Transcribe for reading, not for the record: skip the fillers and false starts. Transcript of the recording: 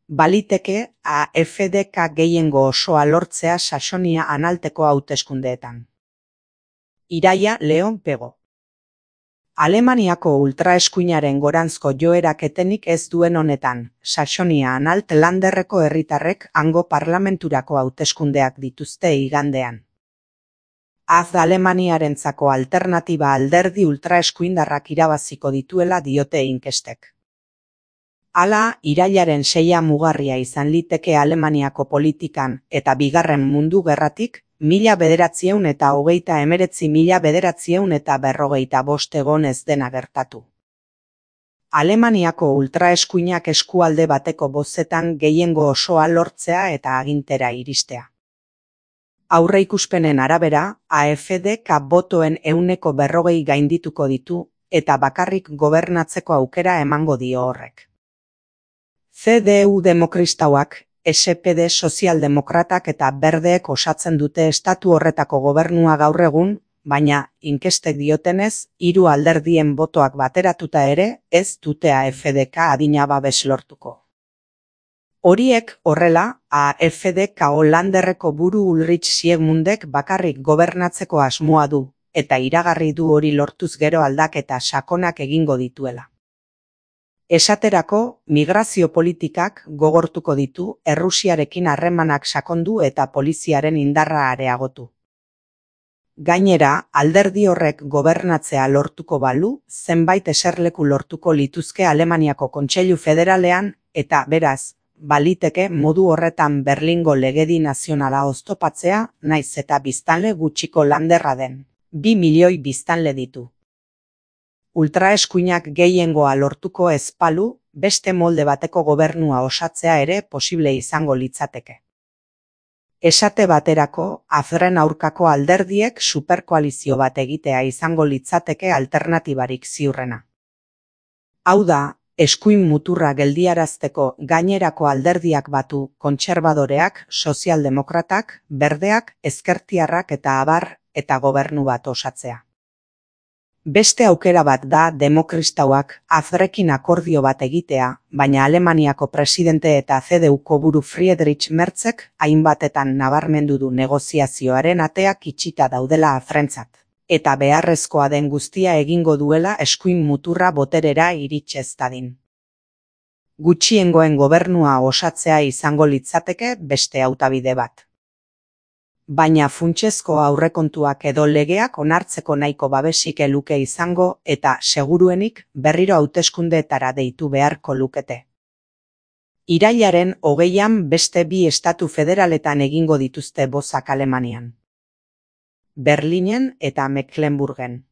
baliteke AfDK gehiengo osoa lortzea Saxonia-Anhalteko hauteskundeetan. Iraia Leon Pego. Alemaniako ultraeskuinaren goranzko joerak etenik ez duen honetan, Saxonia-Anhalt landerreko herritarrek hango parlamenturako hauteskundeak dituzte igandean. Alemaniarentzako alternatiba alderdi ultraeskuindarrak irabaziko dituela diote inkestek. Hala, irailaren 6 mugarria izan liteke Alemaniako politikan eta Bigarren Mundu Gerratik 1939–1945 egon ez dena gertatu. Alemaniako ultraeskuinak eskualde bateko bozetan gehiengo osoa lortzea eta agintera iristea. Aurreikuspenen arabera, AfDK botoen 40% gaindituko ditu eta bakarrik gobernatzeko aukera emango dio horrek. CDU Demokristauak, SPD Sozialdemokratak eta Berdeek osatzen dute estatu horretako gobernua gaur egun, baina, inkestek diotenez, 3 alderdien botoak bateratuta ere, ez dute AfDK adina babes lortuko. Horiek, horrela, AfDK Holanderreko buru Ulrich Siegmundek bakarrik gobernatzeko asmoa du, eta iragarri du hori lortuz gero aldaketa sakonak egingo dituela. Esaterako, migrazio politikak gogortuko ditu, Errusiarekin harremanak sakondu eta poliziaren indarra areagotu. Gainera, alderdi horrek gobernatzea lortuko balu, zenbait eserleku lortuko lituzke Alemaniako Kontseilu Federalean, eta beraz, baliteke modu horretan Berlingo legedi nazionala oztopatzea, naiz eta biztanle gutxiko landerra den. 2 milioi biztanle ditu. Ultraeskuinak gehiengoa lortuko ez balu, beste molde bateko gobernua osatzea ere posible izango litzateke. Esate baterako, AfDren aurkako alderdiek superkoalizio bat egitea izango litzateke alternatibarik ziurrena. Hau da, eskuin muturra geldiarazteko gainerako alderdiak batu kontserbadoreak, sozialdemokratak, berdeak, ezkertiarrak eta abar, eta gobernu bat osatzea. Beste aukera bat da Demokristauak AfDrekin akordio bat egitea, baina Alemaniako presidente eta CDUko buru Friedrich Merzek hainbatetan nabarmendu du negoziazioaren ateak itxita daudela AfDrentzat, eta beharrezkoa den guztia egingo duela eskuin muturra boterera iritz ez dadin. Gutxiengoen gobernua osatzea izango litzateke beste hautabide bat. Baina funtsezko aurrekontuak edo legeak onartzeko nahiko babesik luke izango eta seguruenik berriro hauteskundeetara deitu beharko lukete. Irailaren 20an beste 2 estatu federaletan egingo dituzte bozak Alemanian. Berlinen eta Mecklenburgen.